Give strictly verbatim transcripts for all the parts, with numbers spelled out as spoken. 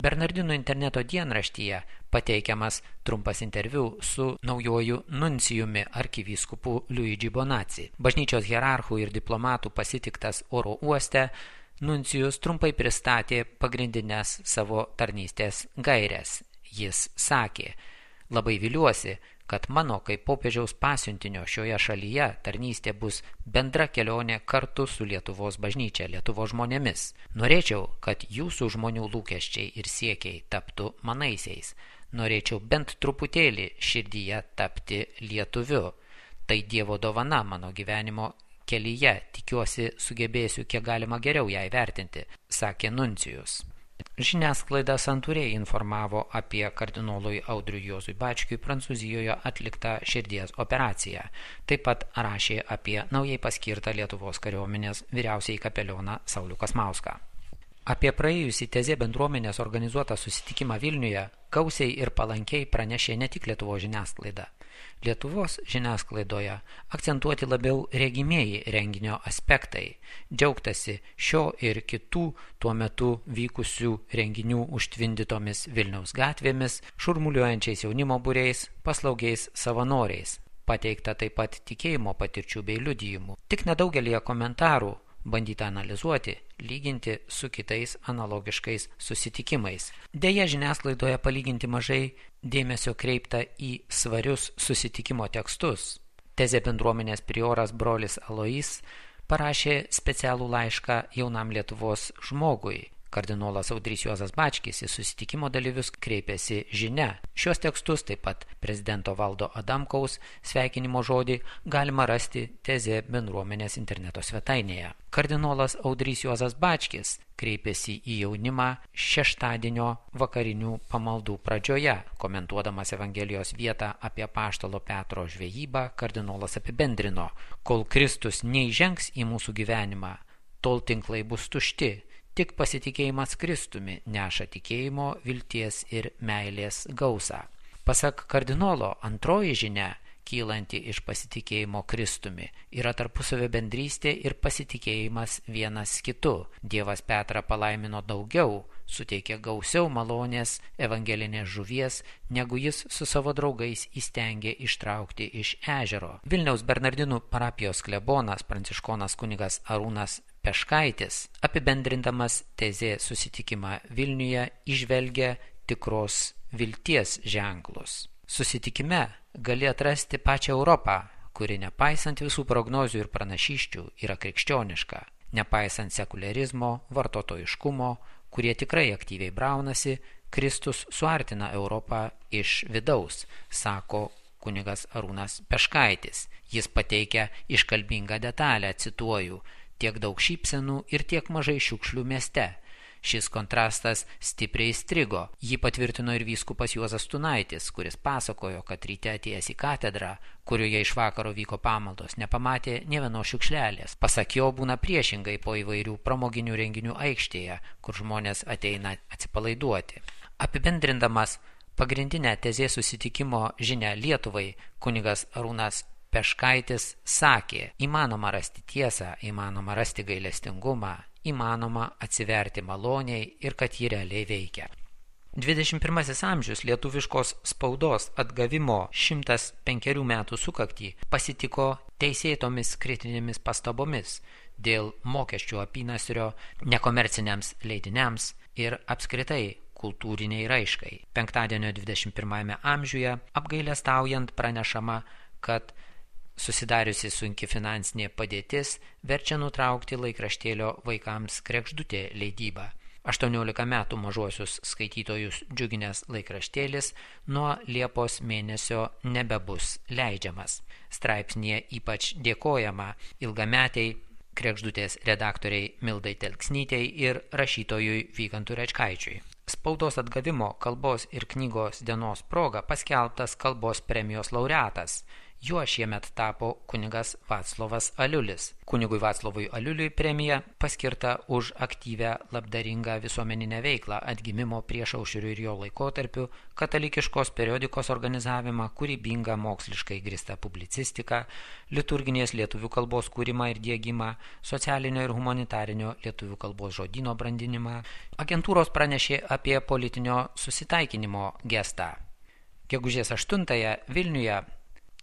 Bernardinų interneto dienraštyje pateikiamas trumpas interviu su naujoju nuncijumi arkivyskupu Luigi Bonazzi. Bažnyčios hierarchų ir diplomatų pasitiktas oro uoste, nuncijus trumpai pristatė pagrindinės savo tarnystės gaires. Jis sakė: labai viliuosi, kad mano kaip popiežiaus pasiuntinio šioje šalyje tarnystė bus bendra kelionė kartu su Lietuvos bažnyčia, Lietuvos žmonėmis. Norėčiau, kad jūsų žmonių lūkesčiai ir siekiai taptų manaisiais. Norėčiau bent truputėlį širdyje tapti lietuviu. Tai Dievo dovana mano gyvenimo kelyje. Tikiuosi, sugebėsiu kiek galima geriau ją įvertinti, sakė nuncijus. Žiniasklaida santūriai informavo apie kardinolui Audriui Juozui Bačkiui Prancūzijoje atliktą širdies operaciją. Taip pat rašė apie naujai paskirtą Lietuvos kariuomenės vyriausiąjį kapelioną Saulių Kasmauską. Apie praėjusį Tezė bendruomenės organizuotą susitikimą Vilniuje gausiai ir palankiai pranešė ne tik Lietuvos žiniasklaida. Lietuvos žiniasklaidoje akcentuoti labiau regimieji renginio aspektai, džiaugtasi šio ir kitų tuo metu vykusių renginių užtvindytomis Vilniaus gatvėmis, šurmuliuojančiais jaunimo būriais, paslaugiais savanoriais. Pateikta taip pat tikėjimo patirčių bei liudijimų. Tik nedaugelį komentarų bandyta analizuoti, lyginti su kitais analogiškais susitikimais. Deja, žiniasklaidoje palyginti mažai dėmesio kreipta į svarius susitikimo tekstus. Tezė bendruomenės prioras brolis Alois parašė specialų laišką jaunam Lietuvos žmogui. Kardinolas Audrys Juozas Bačkis į susitikimo dalyvius kreipėsi žinia. Šios tekstus, taip pat prezidento Valdo Adamkaus sveikinimo žodį, galima rasti Tezė bendruomenės interneto svetainėje. Kardinolas Audrys Juozas Bačkis kreipėsi į jaunimą šeštadienio vakarinių pamaldų pradžioje. Komentuodamas Evangelijos vietą apie apaštalo Petro žvejybą, kardinolas apibendrino: kol Kristus neįžengs į mūsų gyvenimą, tol tinklai bus tušti. Tik pasitikėjimas Kristumi neša tikėjimo, vilties ir meilės gausą. Pasak kardinolo, antroji žinia, kylanti iš pasitikėjimo Kristumi, yra tarpusavio bendrystė ir pasitikėjimas vienas kitu. Dievas Petrą palaimino daugiau, suteikė gausiau malonės evangelinės žuvies, negu jis su savo draugais įstengė ištraukti iš ežero. Vilniaus Bernardinų parapijos klebonas pranciškonas kunigas Arūnas Peškaitis, apibendrindamas Tezė susitikimą Vilniuje, įžvelgia tikros vilties ženklus. Susitikime gali atrasti pačią Europą, kuri nepaisant visų prognozių ir pranašysčių yra krikščioniška, nepaisant sekuliarizmo, vartotojiškumo, kurie tikrai aktyviai braunasi, Kristus suartina Europą iš vidaus, sako kunigas Arūnas Peškaitis. Jis pateikia iškalbingą detalę, cituoju: tiek daug šypsenų ir tiek mažai šiukšlių mieste. Šis kontrastas stipriai įstrigo. Jį patvirtino ir vyskupas Juozas Tunaitis, kuris pasakojo, kad ryte atėjęs į katedrą, kurioje iš vakaro vyko pamaldos, nepamatė nė vienos šiukšlelės. Pasak jo, būna priešingai po įvairių pramoginių renginių aikštėje, kur žmonės ateina atsipalaiduoti. Apibendrindamas pagrindinę Tezė susitikimo žinią Lietuvai, kunigas Arūnas Peškaitis sakė: įmanoma rasti tiesą, įmanoma rasti gailestingumą, įmanoma atsiverti maloniai ir kad ji realiai veikia. dvidešimt pirmasis amžius lietuviškos spaudos atgavimo šimtas penkerių metų sukaktį pasitiko teisėtomis kritinėmis pastabomis dėl mokesčių apynasrio nekomerciniams leidiniams ir apskritai kultūriniai raiškai. Penktadienio dvidešimt pirmajame amžiuje apgailestaujant pranešama, kad susidariusi sunki finansinė padėtis verčia nutraukti laikraštėlio vaikams Kregždutė leidybą. aštuoniolika metų mažuosius skaitytojus džiuginęs laikraštėlis nuo Liepos mėnesio nebebus leidžiamas. Straipsnyje ypač dėkojama ilgametiai Kregždutės redaktoriai Mildai Telksnytei ir rašytojui Vykantui Rečkaičiui. Spaudos atgavimo kalbos ir knygos dienos proga paskelbtas kalbos premijos laureatas Juo šiemet tapo kunigas Vaclovas Aliulis. Kunigui Vaclovui Aliuliui premija paskirta už aktyvę labdaringą visuomeninę veiklą, atgimimo priešaušriu ir jo laikotarpiu, katalikiškos periodikos organizavimą, kūrybingą moksliškai grįstą publicistiką, liturginės lietuvių kalbos kūrimą ir diegimą, socialinio ir humanitarinio lietuvių kalbos žodyno brandinimą. Agentūros pranešė apie politinio susitaikinimo gestą. Gegužės aštuntąją Vilniuje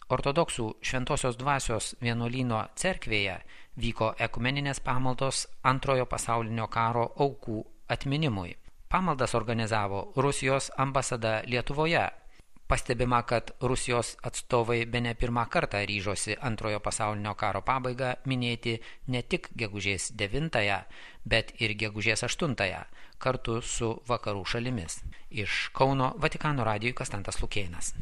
Ortodoksų Šventosios dvasios vienuolyno cerkvėje vyko ekumeninės pamaldos Antrojo pasaulinio karo aukų atminimui. Pamaldas organizavo Rusijos ambasada Lietuvoje. Pastebima, kad Rusijos atstovai bene pirmą kartą ryžosi Antrojo pasaulinio karo pabaigą minėti ne tik gegužės devintąją, bet ir gegužės aštuntąją kartu su vakarų šalimis. Iš Kauno Vatikano radijui Konstantas Lukėnas.